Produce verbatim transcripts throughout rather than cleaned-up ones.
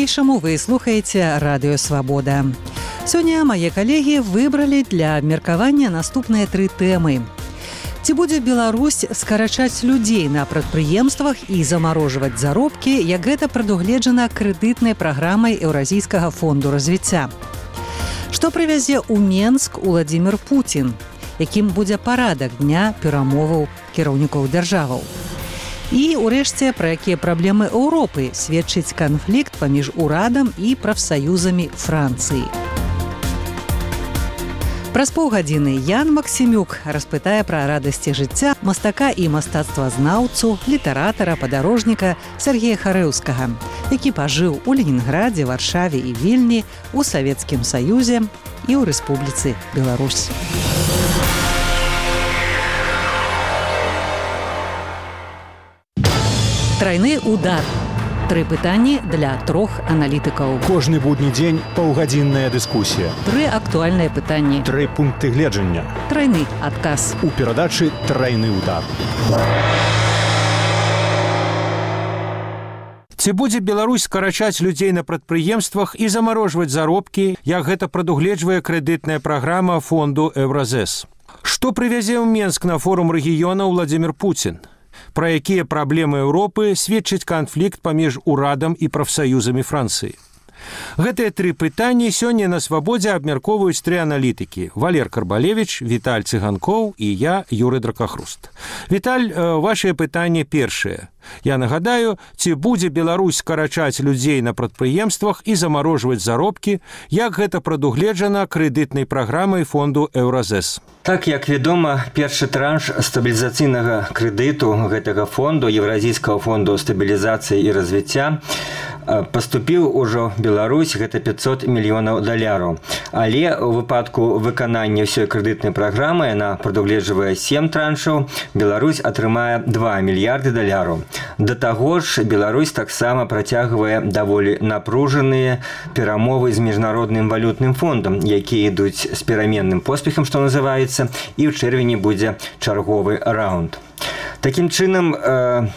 Па-ранейшаму вы слухаеце Радыё Свабода. Сёння мае калегі выбралі для абмеркавання наступныя тры тэмы. Ці будзе Беларусь скарачаць людзей на прадпрыемствах і замарожваць заробкі, як гэта прадугледжана крэдытнай праграмай Еўразійскага фонду развіцця? Што прывязе ў Менск Уладзімір Пуцін? Якім будзе парадак дня перамоваў кіраўнікоў дзяржаваў? І, урэшце, пра якія праблемы Еўропы сведчыць канфлікт паміж урадам і прафсаюзамі Францыі. Праз паўгадзіны Ян Максімюк распытае пра радасці жыцця мастака і мастацтвазнаўцу, літаратара, падарожніка Сергея Харэўскага, які пажыў у Ленінградзе, Варшаве і Вільні, у Савецкім Саюзе і ў Рэспубліцы Беларусь. Трайны удар. Тры пытанні для трох аналітыкаў. Кожны будні дзень паўгадзінная дыскусія. Тры актуальныя пытанні. Тры пункты гледжання. Трайны адказ. У перадачы «Трайны удар». Ці будзе Беларусь скарачаць людзей на прадпрыемствах і замарожваць заробкі, як гэта прадугледжвае крэдытная праграма фонду Еўразэс? Што прывязе ў Менск на форум рэгіёна Уладзімір Пуцін? Пра якія праблемы Еўропы сведчыць канфлікт паміж урадам і прафсаюзамі Францыі? Гэтыя тры пытанні сёння на Свабодзе абмяркоўваюць тры аналітыкі: Валер Карбалевіч, Віталь Цыганкоў і я, Юрый Дракахруст. Віталь, вашае пытанне першае. Я нагадаю, ці будзе Беларусь скарачаць людзей на прадпрыемствах і замарожваць заробкі, як гэта прадугледжана крэдытнай праграмай фонду Еўразэс? Так, як вядома, першы транш стабілізацыйнага крэдыту гэтага фонду, Еўразійскага фонду стабілізацыі і развіцця, паступіў ужо в Беларусь, гэта пятьсот мільёнаў даляраў. Але ў выпадку выканання ўсёй крэдытнай праграмы, яна прадугледжвае сем траншаў, Беларусь атрымае два мільярды даляраў. Да таго ж, Беларусь таксама працягвае даволі напружаныя перамовы з міжнародным валютным фондам, якія ідуць з пераменным поспехам, што называецца, і ў чэрвені будзе чарговы раунд. Такім чынам, э,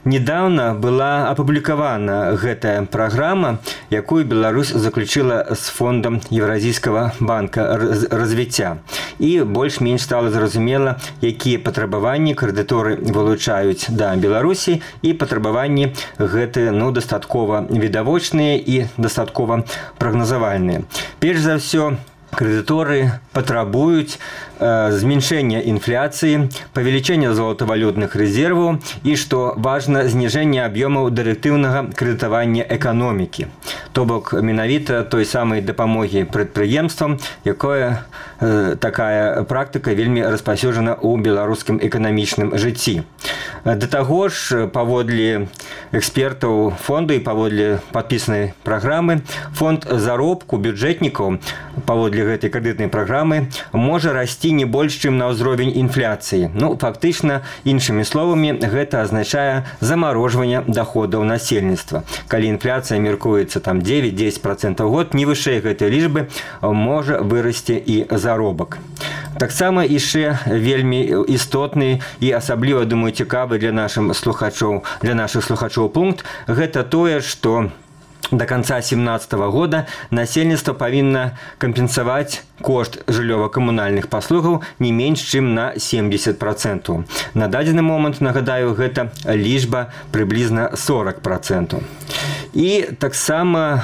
недавно была апублікавана гэтая праграма, якую Беларусь заключила з фондом Еўразійскага банка развіцця. І больш-менш стала зразумела, якія патрабаванні крэдыторы вылучаюць да Беларусі, і патрабаванні гэты, ну, дастаткова відавочныя і дастаткова прагназавальныя. Перш за ўсё, крэдыторы патрабуюць э, зменшэння інфляцыі, павелічэння золатавалютных рэзерваў і, што важна, зніжэння аб'ёмаў дырэктыўнага крэдытавання эканомікі. То бок, менавіта той самай дапамогі прадпрыемствам, якое э, такая практыка вельмі распаўсюджана ў беларускім эканамічным жыцці. Да таго ж, паводле экспертаў фонду і паводле падпісанай праграмы, фонд заробку бюджэтнікаў паводле гэтай крэдытнай праграмы можа расці не больш, чым на ўзровень інфляцыі. Ну, фактычна, іншымі словамі, гэта азначае замарожванне даходаў насельніцтва. Калі інфляцыя меркуецца там дзевяць-дзесяць процентаў год, не вышэй гэтай лічбы можа вырасці і заробак. Таксама яшчэ вельмі істотны і асабліва, думаю, цікавы для нашых слухачоў, для нашых слухачоў пункт гэта тое, што до конца семнадцатого года насельніцтва павінна кампенсаваць кошт жыллёва-камунальных паслугаў не менш, чым на семьдесят процентаў. На дадзены момант, нагадаю, гэта лічба прыблізна сорок процентаў. І таксама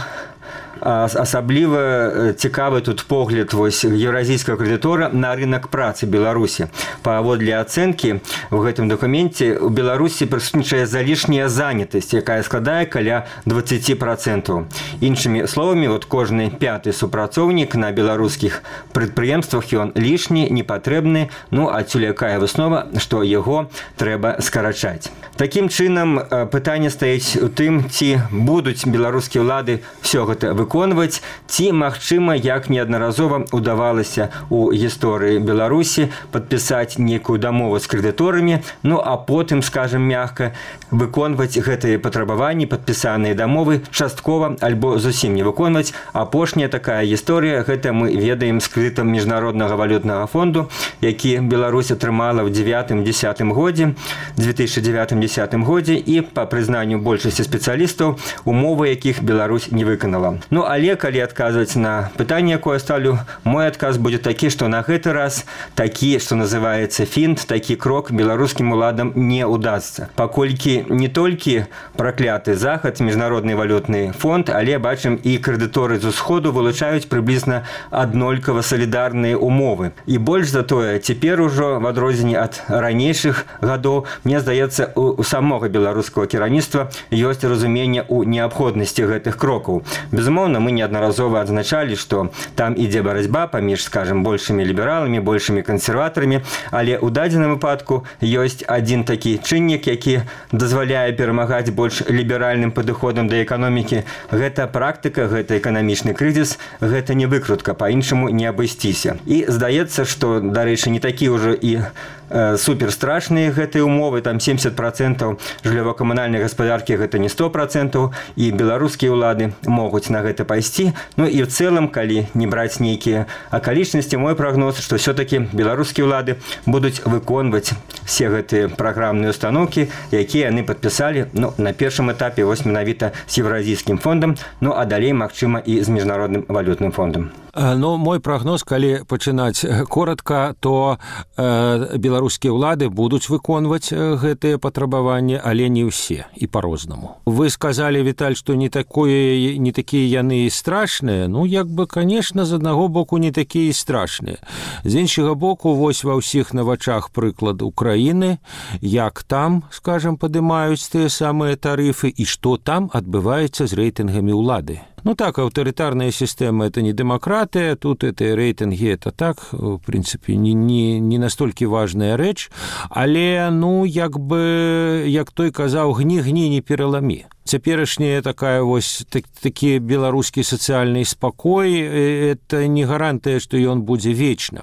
асабліва цікавы тут погляд вось еўразійскага крэдытора на рынок працы Беларусі. Паводле ацэнкі в гэтым дакуменце у Беларусі прысутнічае залішняя занятасць, якая складае каля двадцать процентаў. Іншымі словамі, вот кожны пяты супрацоўнік на беларускіх прадпрыемствах ён лішні, непатрэбны, ну адсюль якая выснова, што яго трэба скарачаць. Такім чынам, пытанне стаіць у тым, ці будуць беларускія ўлады все гэта выконваць, ці, магчыма, як неаднаразова ўдавалася ў гісторыі Беларусі падпісаць нейкую дамову з крэдыторамі, ну а потым, скажем мягка, выконваць гэтыя патрабаванні, падпісаныя дамовы часткова альбо зусім не выконваць. Апошняя такая гісторыя, гэта мы ведаем з крэдытам Міжнароднага валютнага фонду, які Беларусь атрымала ў дзевятым-дзесятым годзе, две тысячи девятым-десятым годзе, і па прызнанню большасці спецыялістаў, умовы якіх Беларусь не выканала. Ну але калі адказваць на пытанне, якое ставлю, мой адказ будзе такі, што на гэты раз такі, што называецца фінт, такі крок беларускім уладам не удасца. Паколькі не толькі пракляты захад, Міжнародны валютны фонд, але бачым і крэдыторы з усходу вылучаюць прыблізна аднолькава салідарныя умовы. І больш за тое, цяпер ужо в адрозненні ад ранейшых гадоў, мне здаецца, у самога беларускага кіраўніцтва ёсць разуменне ў неабходнасці гэтых крокаў. Безумоўна, мы неаднаразова адзначалі, што там ідзе барацьба паміж, скажем, большымі лібераламі, большымі кансерватарамі, але ў дадзеным выпадку ёсць адзін такі чыннік, які дазваляе перамагаць больш ліберальным падыходам да эканомікі. Гэта практыка, гэта эканамічны крызіс, гэта не выкрутка, па-іншаму не абысціся. І здаецца, што, дарэчы, не такі ўжо і суперстрашныя гэтыя умовы, там семьдесят процентов жыллёва-камунальнай гаспадаркі, гэта не сто процентов, і беларускія ўлады могуць на гэта пайсці. Ну і ў цэлым, калі не браць нейкія акалічнасці, мой прагноз, што все-таки беларускія ўлады будуць выконваць все гэтыя праграмныя установкі, якія яны падпісалі, ну, на першым этапе вось менавіта з Еўразійскім фондам, ну а далей, магчыма, і з Міжнародным валютным фондам. Ну, мой прагноз, калі пачынаць коротка, то э, беларускія ўлады будуць выконваць гэтыя патрабаванні, але не ўсе і па-рознаму. Вы сказалі, Віталь, што не такое, не такія яны і страшныя. Ну, як бы, конечно, з аднаго боку не такія і страшныя. З іншага боку, вось ва ўсіх на вачах прыклад Украіны, як там, скажем, падымаюць тыя самыя тарыфы і што там адбываецца з рэйтынгамі ўлады. Ну так, авторитарная система – это не демократия, тут это рейтинги, это так, в принципе, не, не, не настолько важная рэч, але, ну, як бы, як той казаў, гні-гні, не пераламі. Цяперашняя такая вось так, такі беларускі сацыяльны спакой, это не гарантыя, што ён будзе вечна.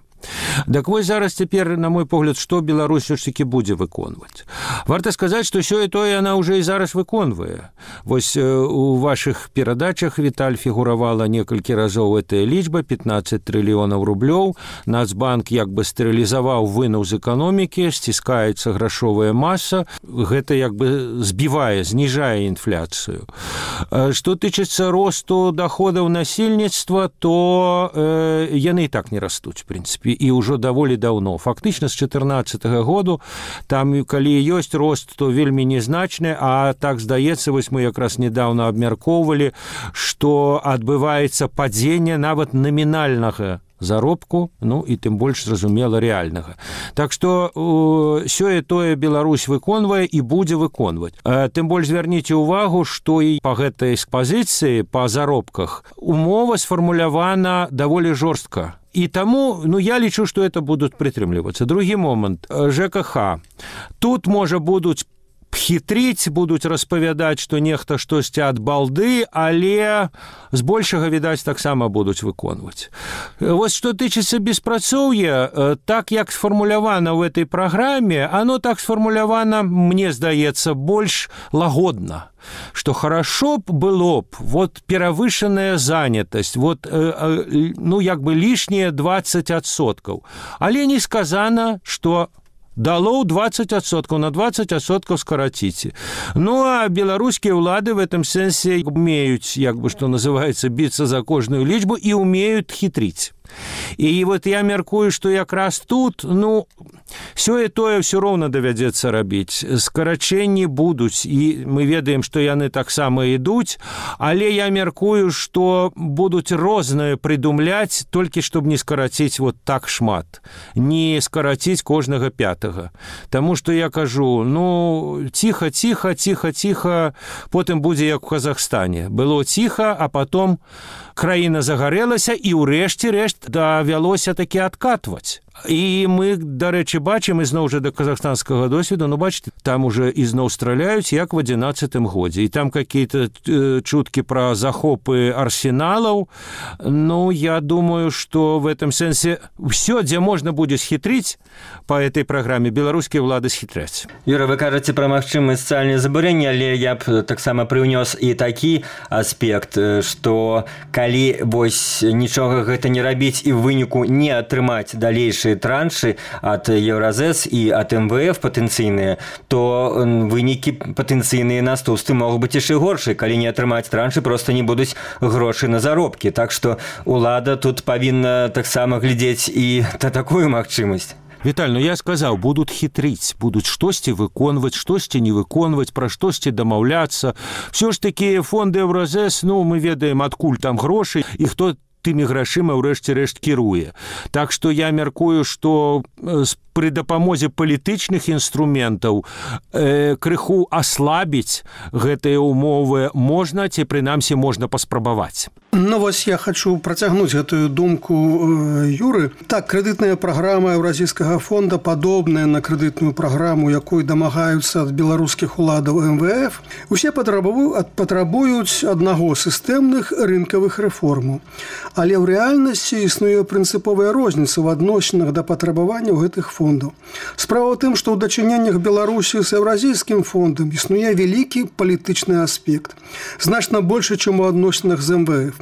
Так вось зараз цяпер, на мой погляд, што Беларусь ўсё-такі будзе выконваць. Варта сказаць, што сёе тое яна ўжо і зараз выконвае. Вось у вашых перадачах, Віталь, фігуравала некалькі разоў гэтая лічба, пятнадцать трыльёнаў рублёў. Нацбанк як бы стэрылізаваў вынаў з эканомікі, сціскаецца грашовая маса, гэта як бы збівае, зніжае інфляцыю. Што тычыцца росту даходаў насельніцтва, то э, яны і так не растуць, в прынцыпе, і ўжо даволі даўно. Фактычна з чатырнаццатага году там, калі ёсць рост, то вельмі незначны, а так здаецца, вось мы якраз недавно абмяркоўвалі, што адбываецца падзенне нават намінальнага заробку, ну і тым больш зразумела рэальнага. Так што сёе тое Беларусь выконвае і будзе выконваць. Тым больш звярніце ўвагу, што і па гэтай пазіцыі, па заробках, умова сфармулявана даволі жорстка. І таму, ну, я лічу, што это будуць прытрымлівацца. Другі момант. ЖКХ. Тут, можа, будуць хітрыць, будуць распавядаць, што нехта штосьці ад балды, але збольшага, відаць, таксама будуць выконваць. Вось што тычыцца беспрацоўя, так як сфармулявана ў этой праграме, оно так сфармулявана, мне здаецца, больш лагодна. Что хорошо было б вот перавышенная занятость, вот, э, э, ну, як бы лишние двадцать адсоткаў. Але не сказано, что дало двадцать адсоткаў, на двадцать адсоткаў скараціце. Ну, а беларускія ўлады в этом сэнсе умеюць, як бы, что называется, биться за кожную лічбу і умеют хитрить. І вот я мяркую, што якраз тут, ну, сёе тое ўсё роўна давядзецца рабіць. Скарачэнні будуць, і мы ведаем, што яны таксама ідуць, але я мяркую, што будуць рознае прыдумляць, толькі чтобы не скараціць вот так шмат, не скараціць кожнага пятага. Таму што я кажу, ну, ціха, ціха, ціха, ціха, потым будзе як у Казахстане. Было ціха, а потом краіна загарэлася, і ўрэшце рэшт давялося такі адкатваць. І мы, дарэчы, бачым ізноў жа да казахстанскага досведу, ну бачите, там уже ізноў страляюць, як в адзінаццатым годзе. І там какие-то э, чуткі пра захопы арсеналаў. Ну, я думаю, что в этом сэнсе все, дзе можна будзе схітрыць по этой праграме, беларускія ўлады схітряць. Юра, вы кажаце пра магчымыя сацыяльныя забурэнні, але я б таксама прыўнёс і такі аспект, што калі вось нічога гэта не рабіць і ў выніку не атрымаць далейшыя траншы ад Еўразэс і ад эм вэ эф патэнцыйныя, то вынікі патэнцыйныя наступствы могуць быць яшчэ горшыя. Калі не атрымаць траншы, проста не будуць грошы на заробкі. Так што ўлада тут павінна таксама глядзець і на такую магчымасць. Віталь, ну я сказаў, будуць хітрыць, будуць штосьці выконваць, штосьці не выконваць, пра штосьці дамаўляцца. Все ж такі фонды Еўразэс, ну мы ведаем, адкуль там грошы і хто тымі грашыма ўрэшце рэшт кіруе. Так што я мяркую, што пры дапамозе палітычных інструментаў э, крыху аслабіць гэтыя умовы можна, ці прынамсі можна паспрабаваць. Ну вось я хочу працягнуць гэтую думку э, Юры. Так, крэдытная праграма Еўразійскага фонда падобная на крэдытную праграму, якой дамагаюцца ад беларускіх уладаў эм вэ эф. Усе патрабуюць, патрабуюць аднаго сістэмных рынкавых рэформаў. Але ў рэальнасці існуе прынцыповая розніца ў адносінах да патрабаванняў гэтых фондаў. Справа ў тым, што ў дачыненнях Беларусі з Еўразійскім фондам існуе вялікі палітычны аспект, значна больше, чым у адносінах з эм вэ эф.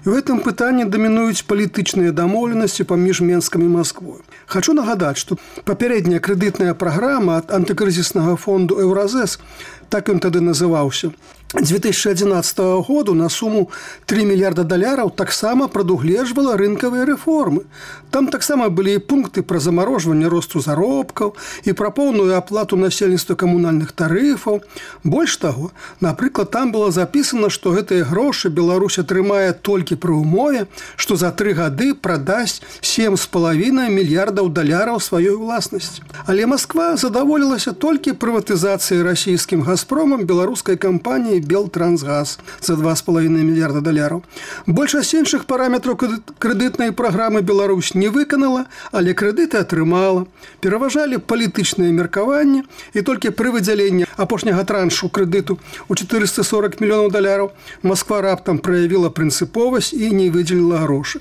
І ў гэтым пытанні дамінуюць палітычныя дамоўленасці паміж Менскам і Масквой. Хочу нагадаць, што папярэдняя крэдытная праграма ад антыкрызіснага фонду Еўразэс, так ён тады называўся, дзве тысячы адзінаццатага году на суму тры мільярда даляраў таксама прадугледжвала рынкавыя рэформы. Там таксама былі і пункты пра замарожванне росту заробкаў і пра поўную аплату насельніцтва камунальных тарыфаў. Больш таго, напрыклад, там было запісана, што гэтыя грошы Беларусь атрымае толькі пры умове, што за тры гады прадасць сем з палавінай мільярдаў даляраў сваёй уласнасці. Але Масква задаволілася толькі прыватызацыяй расійскім газпромам беларускай кампаніі Белтрансгаз за два з палавінай мільярда даляраў. Большасць іншых параметраў крэдытнай праграмы Беларусь не выканала, але крэдыты атрымала. Пераважалі палітычныя меркаванні, і толькі пры выдзяленні апошняга траншу крэдыту ў чатырыста сорок мільёнаў даляраў Масква раптам праявіла прынцыповасць і не выдзеліла грошы.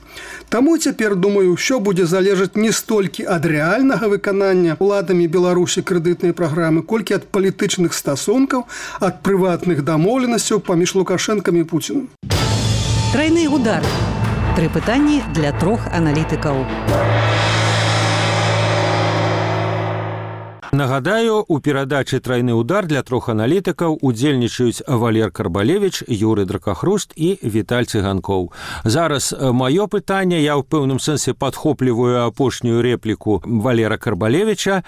Таму цяпер, думаю, ўсё будзе залежаць не столькі ад рэальнага выканання уладамі Беларусі крэдытнай праграмы, колькі ад палітычных стасункаў, ад прыватных дамоўленасцяў паміж Лукашэнкам і Пуцінам. Трайны удар. Тры пытанні для трох аналітыкаў. Нагадаю, у перадачы «Трайны удар» для трох аналітыкаў удзельнічаюць Валер Карбалевіч, Юры Дракахруст і Віталь Цыганкоў. Зараз маё пытанне, я ў пэўным сэнсе падхопліваю апошнюю рэпліку Валера Карбалевіча.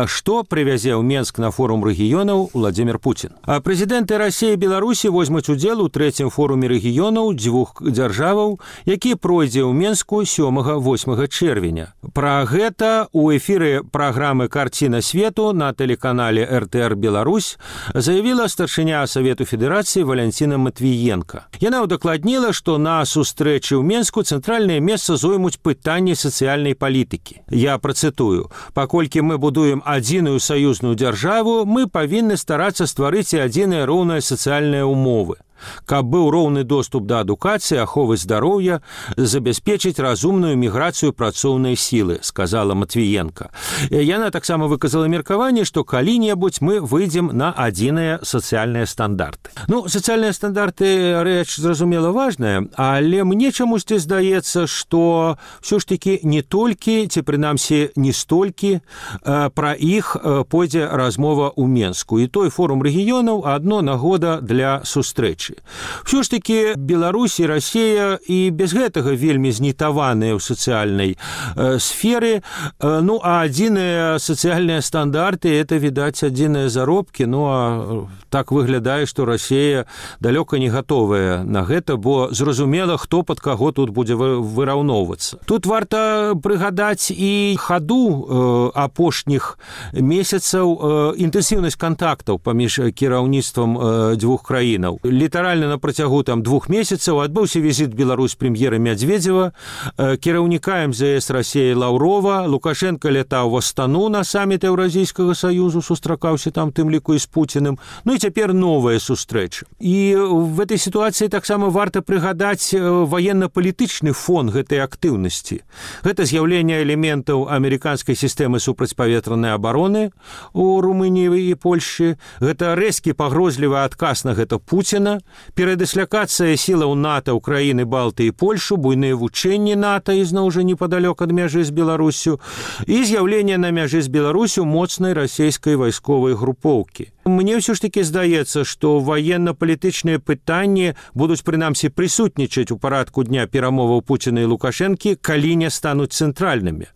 Што прывязе ў Менск на форум рэгіёнаў Владзімір Пуцін? Прэзідэнты Расіі і Беларусі возьмуць удзел у трэцім форуме рэгіёнаў дзвюх дзяржаваў, які пройдзе ў Менску сёмага-восьмага чэрвеня. Пра гэта ў эфіры праграмы «Карціна свету» на тэлеканале эр тэ эр Беларусь заявіла старшыня Савету Федэрацыі Валянціна Матвіенка. Яна ўдакладніла, што на сустрэчы ў Менску цэнтральнае месца зоймуць пытанні сацыяльнай палітыкі. Я працытую: «Паколькі мы будуем адзіную саюзную дзяржаву, мы павінны старацца стварыць і адзіныя роўныя сацыяльныя ўмовы. Каб быў роўны доступ да адукацыі, аховы здароўя, забяспечыць разумную міграцыю працоўнай сілы», сказала Матвіенка. Яна таксама выказала меркаванне, што калі-небудзь мы выйдзем на адзіныя сацыяльныя стандарты. Ну, сацыяльныя стандарты рэч, зразумела, важная, але мне чамусьці здаецца, што ўсё ж такі не толькі, ці прынамсі не столькі, пра іх пойдзе размова ў Менску. І той форум рэгіёнаў адно нагода для сустрэчы. Все ж таки Беларусь і Расія і без гэтага вельмі знітаваныя ў сацыяльнай э, сферы. Э, ну, а адзіныя сацыяльныя стандарты — это, відаць, адзіныя заробкі. Ну, а так выглядае, што Расія далёка не гатовая на гэта, бо зразумела, хто пад каго тут будзе выраўноўвацца. Тут варта прыгадаць і хаду э, апошніх месяцаў э, інтэнсіўнасць кантактаў паміж кіраўніцтвам э, дзвюх краінаў. Літаральна літаральна на працягу там двух месяцаў адбыўся візіт Беларусь прэм'ера Мядзведзева, кіраўніка эм зэ эс Расіі Лаўрова, Лукашенко лятаў в Астану на саміт Еўразійскага саюзу, сустракаўся там тым ліку і з Пуціным. Ну і цяпер новая сустрэча. І в этой сітуацыі таксама варта прыгадаць ваенна-палітычны фон гэтай актыўнасці. Гэта з'яўленне элементаў амерыканскай сістэмы супрацьпаветранай абароны у Румыніі і Польшчы. Гэта рэзкі пагрозлівы адказ на гэта Пуціна, перадыслякацыя сілаў НАТО, Украіны, Балты і Польшу, буйныя вучэнні НАТО ізноў жа непадалёк ад мяжы з Беларусю і з'яўленне на мяжы з Беларусю моцнай расійскай вайсковай групоўкі. Мне ўсё ж такі здаецца, што ваенна-палітычныя пытанні будуць прынамсі прысутнічаць у парадку дня перамоваў Пуціна і Лукашэнкі, калі не стануць цэнтральнымі.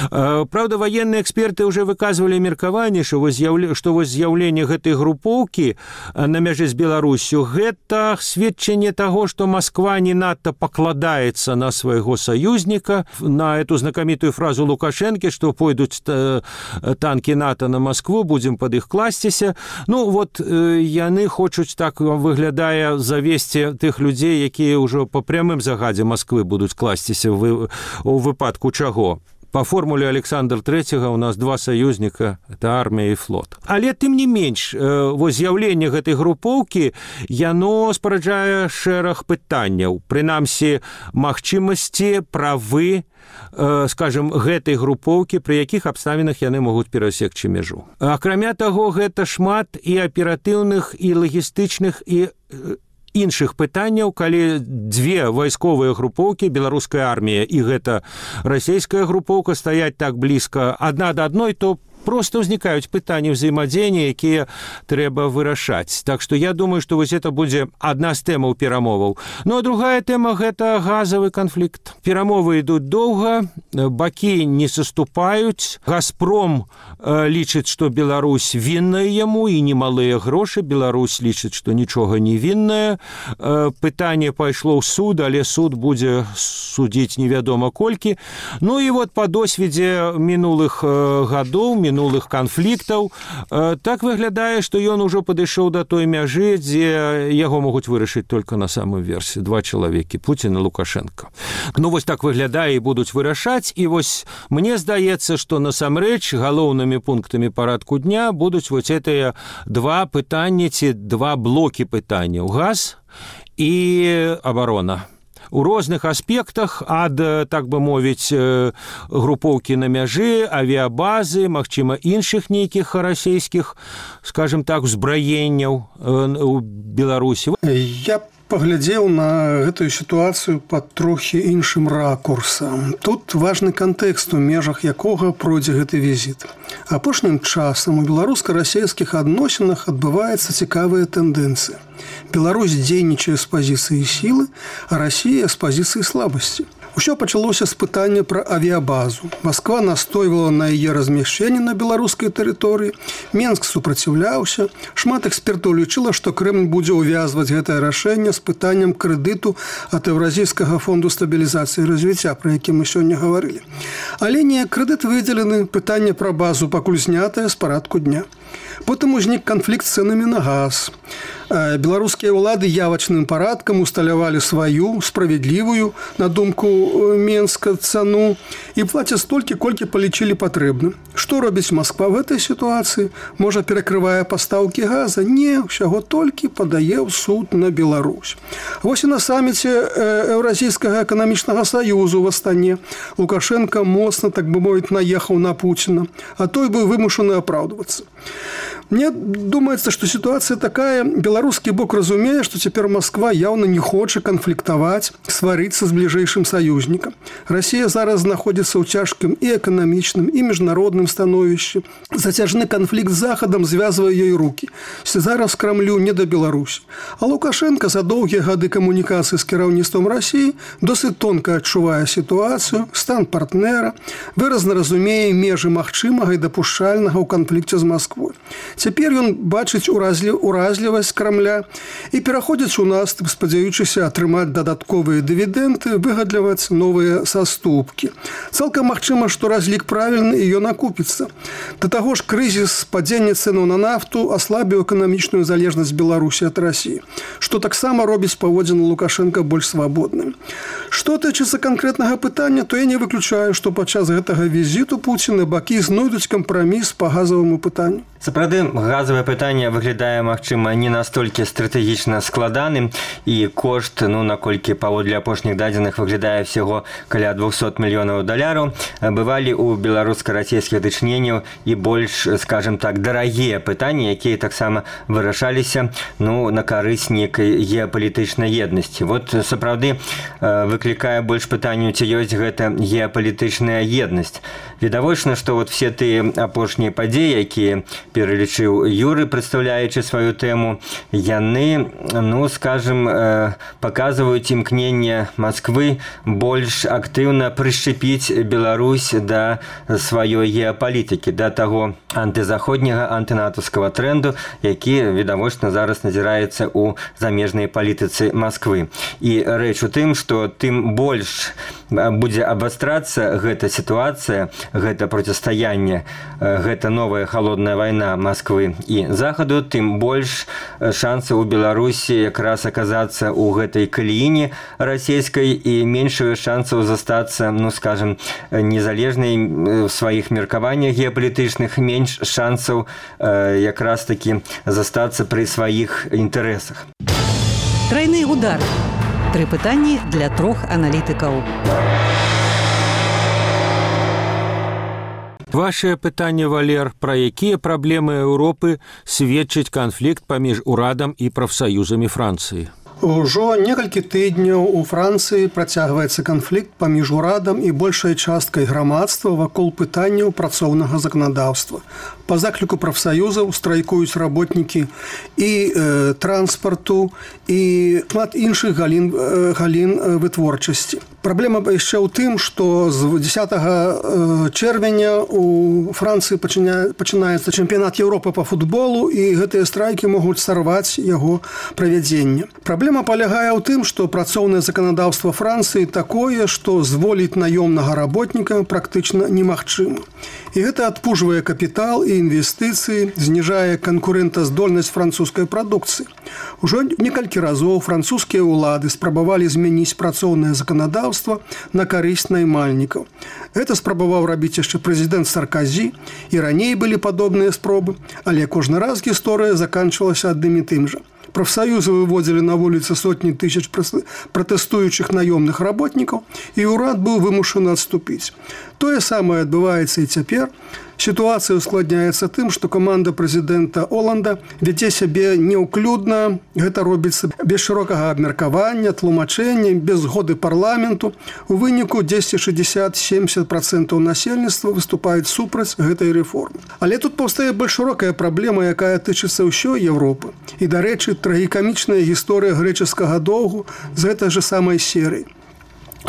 Правда, военные эксперты уже выказывали меркаванне, что вось з'яўленне гэтай групоўкі на мяжы з Беларусю гэта сведчанне таго, што Москва не надта пакладаецца на свайго саюзніка, на эту знакамітую фразу Лукашэнкі, што пойдуць танкі НАТО на Москву, будзем пад іх класціся. Ну вот яны хочуць, так выглядае, завесці тых людзей, якія ўжо па прямым загадзе Москвы будуць класціся у выпадку чаго. По формуле Александра Трэцяга у нас два саюзніка – это армія і флот. Але тым не менш, вось з'яўленне гэтай групоўкі, яно спараджае шэраг пытанняў. Прынамсі, магчымасці, правы, скажем, гэтай групоўкі, пры якіх абставінах яны могуць перасекчы мяжу. Акрамя таго, гэта шмат і аператыўных, і лагістычных, і іншых пытанняў, калі дзве вайсковыя групоўкі, беларуская армія і гэта расійская групоўка, стаяць так блізка адна да адной, то просто ўзнікаюць пытанні ўзаемадзеяння, якія трэба вырашаць. Так што я думаю, што вось это будзе адна з тэмаў перамоваў. Ну а другая тэма – гэта газавы канфлікт. Перамовы ідуць доўга, бакі не саступаюць. Газпром лічыць, што Беларусь вінная яму і немалыя грошы. Беларусь лічыць, што нічога не вінная. Пытанне пайшло ў суд, але суд будзе судзіць невядома колькі. Ну і вот па досведзе мінулых гадоў, мінулых канфліктаў, так выглядае, што ён ужо падышоў да той мяжы, дзе яго могуць вырашыць толькі на самой версіі. Два чалавекі, Пуцін і Лукашенко. Ну вось так выглядае і будуць вырашаць, і вось мне здаецца, што насамрэч галоўнымі пунктамі парадку дня будуць вось гэтыя два пытанні ці два блокі пытанняў: газ і абарона. У розных аспектах, ад, так бы мовіць, групоўкі на мяжы, авіабазы, магчыма, іншых нейкіх расійскіх, скажем так, узбраенняў у Беларусі. Я паглядзеў на гэтую сітуацыю пад трохі іншым ракурсам. Тут важны кантэкст, у межах якога пройдзе гэты візіт. Апошнім часам у беларуска-расійскіх адносінах адбываецца цікавая тэндэнцыя. Беларусь дзейнічае з пазіцыі сілы, а Расія з пазіцыі слабасці. Усё пачалося з пытання пра авіябазу. Москва настойвала на яе размяшчэнне на беларускай тэрыторыі. Менск супраціўляўся. Шмат экспертаў лічыла, што Крэмль будзе ўвязваць гэтае рашэнне з пытаннем крэдыту ад Еўразійскага фонду стабілізацыі і развіцця, пра які мы сёння гаварылі. Але не крэдыт выдзелены, пытанне пра базу пакуль знятае з парадку дня. Потым узнік канфлікт з цэнамі на газ. Беларускія ўлады явачным парадкам усталявалі сваю, справядлівую, на думку Менска, цану і плацяць столькі, колькі палічылі патрэбным. Што робіць Москва в этой сітуацыі? Можа, перакрывае пастаўкі газа? Не, ўсяго толькі падае ў суд на Беларусь. Вось і на саміце Еўразійскага эканамічнага саюзу в Астане Лукашенко моцна, так бы мовіць, наехаў на Пуціна, а той быў вымушаны апраўдвацца. Мне думаецца, што сітуацыя такая. Беларускі бок разумее, што цяпер Москва яўна не хоча канфліктаваць, сварыцца з бліжэйшым саюзнікам. Расія зараз знаходзіцца ў цяжкім і эканамічным, і міжнародным становішчы. Зацяжны канфлікт з Захадам звязвае ёй рукі. Зараз Крамлю не да Беларусі. А Лукашенко за доўгія гады камунікацыі з кіраўніцтвам Расіі досыць тонка адчувае сітуацыю, стан партнера, выразна разумее межы магчымага і дапушчальнага ў канфлікце з Москвой. Цяпер ён бачыць уразлівасць Крамля і пераходзіць у наступ, спадзяючыся атрымаць дадатковыя дывідэнды, выгадліваць новыя саступкі. Цалкам магчыма, што разлік правільны і ён акупіцца. Да таго ж крызіс, падзенне цэнаў на нафту аслабіў эканамічную залежнасць Беларусі ад Расіі, што таксама робіць паводзіны Лукашенка больш свабодным. Што тычыцца канкрэтнага пытання, то я не выключаю, што падчас гэтага візіту Пуціна бакі знойдуць кампраміс па газаваму пытанню. Сапраўды, газавае пытанне выглядае, магчыма, не настолькі стратэгічна складаным, і кошт, ну, наколькі паводле апошніх дадзеных выглядае всяго каля двухсот мільёнаў даляраў, бывалі ў беларуска-расійскіх дачыненняў і больш, скажем так, дарагія пытанні, якія таксама вырашаліся, ну, на карысць нейкай геапалітычнай еднасці. Вот, сапраўды, выклікае больш пытанняў, ці ёсць гэта геапалітычная еднасць. Відавочна, што вот все тыя апошнія падзеі, якія пералічыў Юры, прадстаўляючы сваю тэму, яны, ну, скажем, паказваюць імкненне Масквы больш актыўна прышчапіць Беларусь да сваёй геапалітыкі, да таго антызаходняга, антынатаўскага трэнду, які, відавочна, зараз назіраецца ў замежнай палітыцы Масквы. І рэч у тым, што тым больш будзе абвастрацца гэта сітуацыя, гэта процістаянне, гэта новая халодная вайна Масквы і Захаду, тым больш шансаў у Беларусі якраз аказацца ў гэтай калііне расійскай і меншую шансаў застацца, ну, скажем, незалежнай в сваіх меркаваннях геапалітычных, менш шансаў якраз такі застацца пры сваіх інтарэсах. Трайны удар. Тры пытанні для трох аналітыкаў. Вашее пытанне, Валер, пра якія праблемы Еўропы сведчыць канфлікт паміж урадам і прафсаюзамі Францыі? Ужо некалькі тыдняў у Францыі працягваецца канфлікт паміж урадам і большай часткай грамадства вакол пытанняў працоўнага заканадаўства. Па закліку прафсаюзаў страйкуюць работнікі і э, транспарту, і шмат іншых галін, э, галін вытворчасці. Праблема яшчэ ў тым, што з дзесятага чэрвеня у Францыі пачыня, пачынаецца чэмпіянат Еўропы па футболу, і гэтыя страйкі могуць сарваць яго правядзенне. Праблема палягае ў тым, што працоўнае заканадаўства Францыі такое, што зволіць наёмнага работніка практычна немагчыма. І гэта адпужвае капітал і інвестыцыі, зніжае канкурэнтаздольнасць французскай прадукцыі. Ужо некалькі разоў французскія ўлады спрабавалі змяніць працоўнае заканадаўства на карысць наймальнікаў. Гэта спрабаваў рабіць яшчэ прэзідэнт Сарказі, і раней былі падобныя спробы, але кожны раз гісторыя заканчвалася адным і тым жа. Прафсаюзы выводзілі на вуліцы сотні тысяч пратэстуючых наёмных работнікаў, і ўрад быў вымушаны адступіць. Тое самае адбываецца і цяпер. Сітуацыя ускладняецца тым, што каманда прэзідэнта Оланда вядзе сябе неўклюдна, гэта робіцца без шырокага абмеркавання, тлумачэння, без згоды парламенту. У выніку дзесяць шэсцьдзесят - сямдзесят процентаў насельніцтва выступаюць супраць гэтай рэформы. Але тут паўстае больш шырокая праблема, якая тычыцца ўсёй Еўропы. І, дарэчы, трагікамічная гісторыя грэчаскага доўгу з гэтай жа самай серыі.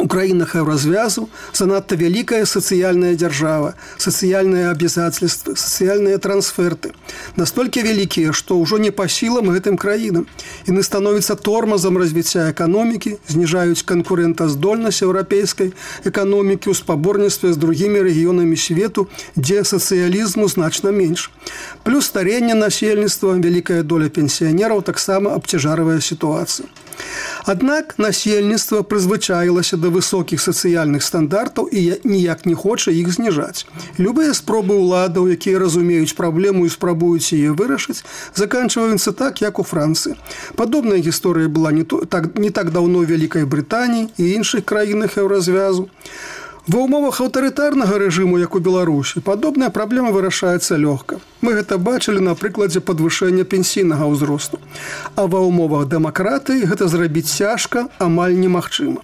У краінах еўразвязу занадта вялікая сацыяльная дзяржава, сацыяльныя абавязацельствы, сацыяльныя трансферты. Настолькі вялікія, што ўжо не па сілам гэтым краінам. Яны становяцца тормазам развіцця эканомікі, зніжаюць канкурэнтаздольнасць еўрапейскай эканомікі ў спаборніцтве з другімі рэгіёнамі свету, дзе сацыялізму значна менш. Плюс старэнне насельніцтва, вялікая доля пенсіянераў таксама абцяжарвае сітуацыю. Аднак насельніцтва прызвычаілася да высокіх сацыяльных стандартаў і ніяк не хоча іх зніжаць. Любыя спробы ўладаў, якія разумеюць праблему і спрабуюць яе вырашыць, заканчваюцца так, як у Францыі. Падобная гісторыя была не, то, так, не так даўно ў Вялікай Брытаніі і іншых краінах еўразвязу. Ва ўмовах аўтарытарнага рэжыму, як у Беларусі, падобная праблема вырашаецца лёгка. Мы гэта бачылі на прыкладзе падвышэння пенсійнага ўзросту. А ва ўмовах дэмакратыі гэта зрабіць цяжка, амаль немагчыма.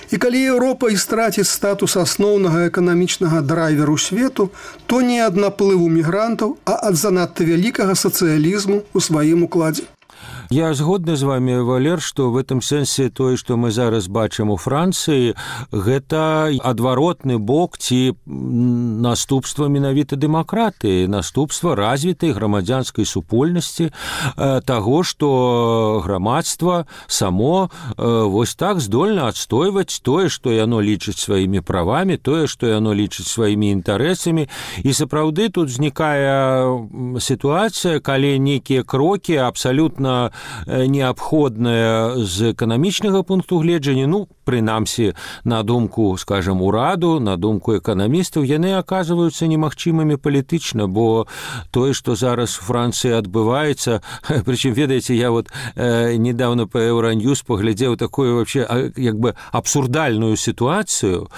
І калі Еўропа і страціць статус асноўнага эканамічнага драйверу свету, то не ад наплыву мігрантаў, а ад занадта вялікага сацыялізму ў сваім укладзе. Я згодны з вами, Валер, што в этом сэнсе тое, што мы зараз бачым у Францыі, гэта адваротны бок ці наступства менавіта дэмакратыі, наступства развітай грамадзянскай супольнасці, таго, што грамадства само вось так здольна адстойваць тое, што яно лічыць сваімі правамі, тое, што яно лічыць сваімі інтарэсамі. І сапраўды тут узнікае сітуацыя, калі нейкія крокі абсалютна неабходныя з эканамічнага пункту гледжання, ну, прынамсі, на думку, скажем, ураду, на думку эканамістаў, яны аказваюцца немагчымымі палітычна, бо тое, што зараз у Францыі адбываецца, прычым, ведаеце, я вот э, недавно по Евроньюз поглядзеў такую вообще як бы абсурдальную сітуацыю,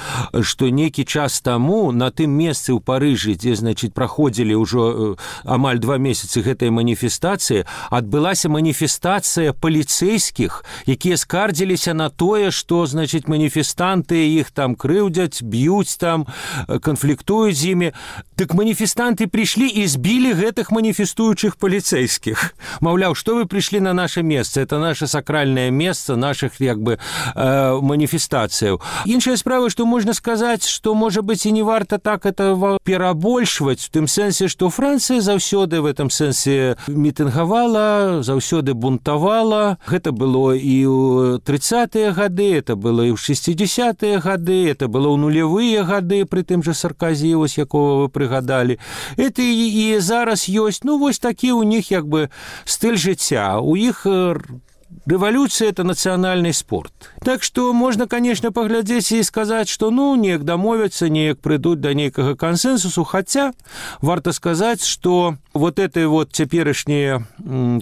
што нейкі час таму на тым месцы ў Парыжы, дзе, значит, праходзілі ўжо амаль два месяцы гэтай маніфестацыі, адбылася маніфестацыя паліцэйскіх, якія скардзіліся на тое, што, значит, маніфестанты іх там крыўдзяць, б'юць там, канфліктуюць з імі. Дык маніфестанты прыйшлі і збілі гэтых маніфестуючых паліцэйскіх. Маўляў, што вы прыйшлі на наше месца? Это наше сакральнае месца наших, як бы, э, маніфестацыяў. Іншая справа, што можна сказаць, што, можа быць, і не варта так это перабольшваць, в тым сэнсе, што Францыя заўсёды в этом сэнсе мітынгавала, заўсёды бунтавала. Гэта было і ў трыццатыя гады, это было і ў шестидесятыя гады, это было ў нулявыя гады, пры тым жа Сарказі, вось якого вы прыгадалі. Это і, і зараз ёсць, ну, вось такі ў них, як бы, стыль жыцця. У іх рэвалюцыя – это нацыянальны спорт. Так што можна, конечно, паглядзець і сказаць, што, ну, неяк дамовяцца, неяк прыйдуць да нейкага кансэнсусу, хаця варта сказаць, што вот этой вот цяперашні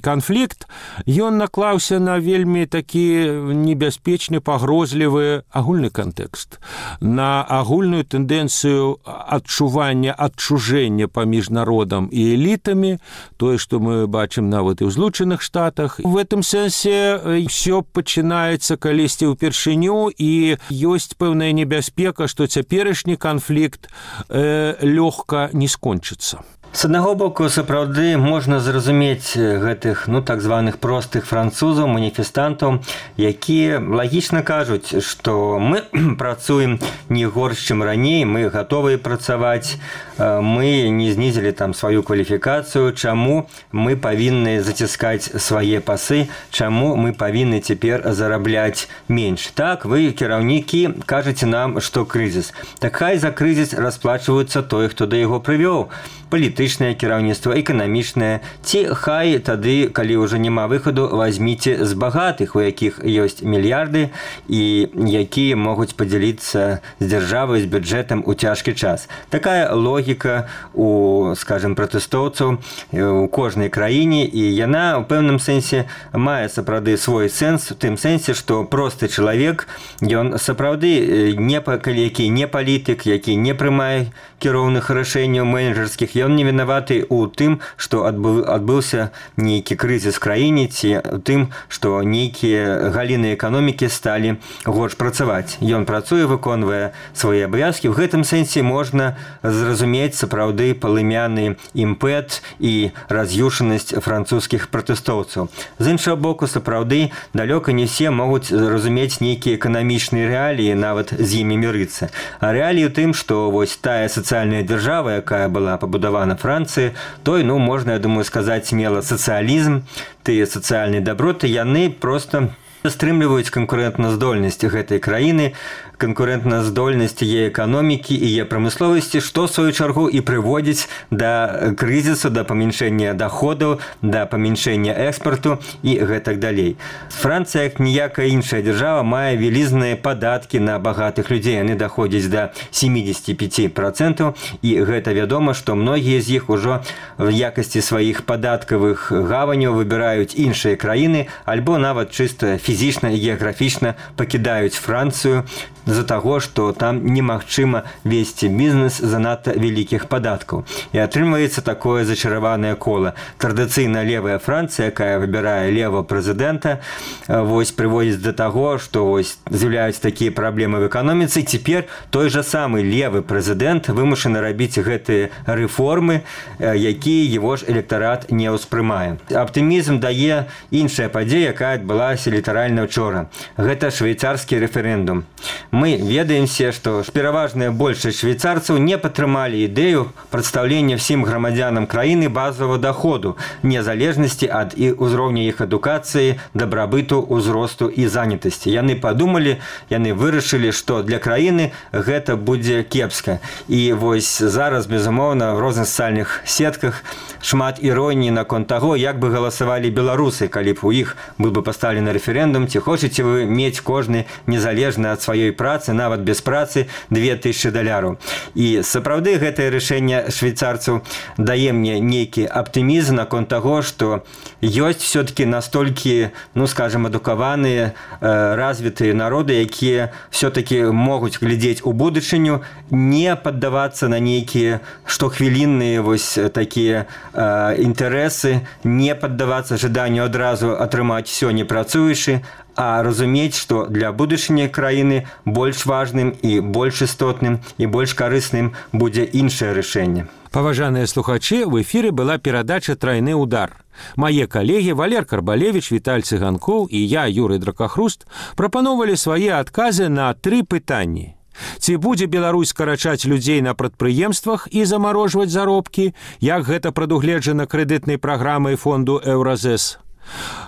канфлікт, ён наклаўся на вельмі такі небяспечны, пагрозлівы агульны кантэкст, на агульную тэндэнцыю адчування адчужэння паміж народам і элітамі, тое, што мы бачым нават і ў Злучаных Штатах. В этом сэнсе ўсё пачынаецца калісьці ўпершыню, і ёсць пэўная небяспека, што цяперашні канфлікт э, лёгка не скончыцца. С аднаго боку, сапраўды можна зразумець гэтых, ну, так званых простых французаў, маніфестантаў, якія лагічна кажуць, што мы працуем не горш, чым раней, мы гатовыя працаваць, мы не знізілі там сваю кваліфікацыю, чаму мы павінны заціскаць свае пасы, чаму мы павінны цяпер зарабляць менш. Так, вы, кіраўнікі, кажаце нам, што крызіс. Так хай за крызіс расплачваюцца той, хто да яго прывёў. Палітычнае кіраўніцтва, эканамічнае, ці хай тады, калі ўжо няма выхаду, вазьміце з багатых, у якіх ёсць мільярды і якія могуць падзяліцца з дзяржавай, з бюджэтам у цяжкі час. Такая логіка у, скажем, пратэстоўцаў у кожнай краіне, і яна ў пэўным сэнсе мае сапраўды свой сэнс, у тым сэнсе, што просты чалавек, ён сапраўды не, які не палітык, які не прымае кіроўных рашэнняў менеджерскіх, ён не вінаваты ў тым, што адбыў, адбыўся нейкі крызіс в краіне, ці ў тым, што нейкія галіны эканомікі сталі горш працаваць. Ён працуе, выконвае свае абавязкі. В гэтым сэнсе можна зразумець сапраўды палымяны імпэт і раз'юшанасць французскіх пратэстоўцаў. З іншага боку, сапраўды далёка не все могуць зразумець нейкія эканамічныя рэаліі, нават з імі мірыцца. А рэаліі ў тым, што вось тая сацыяльная дзяржава, якая была пабудавана Францыі, той, ну, можна, я думаю, сказаць смела, сацыялізм, тыя сацыяльныя даброты, яны проста стрымліваюць канкурэнтназдольнасць гэтай краіны, канкурэнтназдольнасць яе эканомікі і яе прамысловасці, што, в сваю чаргу, і прыводзіць да крызісу, да памяншэння даходаў, да памяншэння экспарту і гэтак далей. Францыя, як ніякая іншая дзяржава, мае вялізныя падаткі на багатых людзей. Яны даходзяць да семьдесят пять процентов, і гэта вядома, што многія з іх ужо в якасці сваіх падаткавых гаваняў выбіраюць іншыя краіны, альбо нават чыста фізічна і геаграфічна пакідаюць Францыю, з-за таго, што там немагчыма весці бізнес занадта вялікіх падаткаў. І атрымваецца такое зачараванае кола. Традыцыйна левая Францыя, якая выбірае левого прэзідэнта, вось прыводзіць да таго, што вось з'яўляюцца такія праблемы в эканоміцы. Цяпер той жа самы левы прэзідэнт вымушаны рабіць гэтыя рэформы, якія его ж электарат не ўспрымае. Аптымізм дае іншая падзея, якая адбылася літаральна ўчора. Гэта швейцарскі рэферэндум. Мы ведаемся, што пераважная большасць швейцарцаў не падтрымалі ідэю прадстаўлення всім грамадзянам краіны базового доходу, незалежнасці ад і ўзроўня іх адукацыі, дабрабыту, узросту і занятасці. Яны падумалі, яны вырашылі, што для краіны гэта будзе кепска. І вось зараз, безумоўна, в розных сацыяльных сетках шмат іроніі наконт таго, як бы галасавалі беларусы, калі б у іх быў бы пастаўлены рэферэндум, ці хочаце вы мець кожны незалежна ад сваёй працы, нават без працы, две тысячы даляраў. І сапраўды гэтае рашэнне швейцарцаў дае мне нейкі аптымізм наконт таго, што ёсць все-таки настолькі, ну, скажем, адукаваныя, э, развітыя народы, якія все-таки могуць глядзець у будучыню, не паддавацца на нейкія штохвілінныя вось такія э, інтарэсы, не паддавацца жаданню адразу атрымаць все не працуючы, а разумець, што для будучыні краіны больш важным і больш істотным і больш карысным будзе іншае рашэнне. Паважаныя слухачы, в эфіры была перадача «Трайны удар». Мае калегі Валер Карбалевич, Віталь Цыганкоў і я, Юрый Дракахруст, прапаноўвалі свае адказы на тры пытанні. Ці будзе Беларусь скарачаць людзей на прадпрыемствах і замарожваць заробкі, як гэта прадугледжана крэдытнай праграмай фонду «Еўразэс»?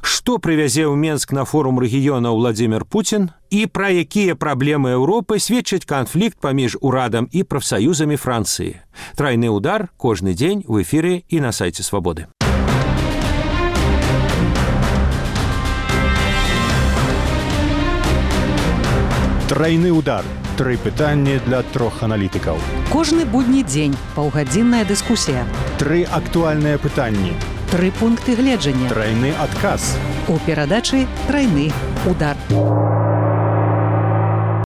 Што прывязе ў Менск на форум рэгіёна Владзімір Пуцін і пра якія праблемы Еўропы сведчыць канфлікт паміж урадам і прафсаюзамі Францыі? Трайны удар кожны дзень в эфіры і на сайце Свабоды. Трайны удар. Тры пытанні для трох аналітыкаў. Кожны будні дзень паўгадзінная дыскусія. Тры актуальныя пытанні. Тры пункты гледжання. Трайны адказ. У перадачы «Трайны удар».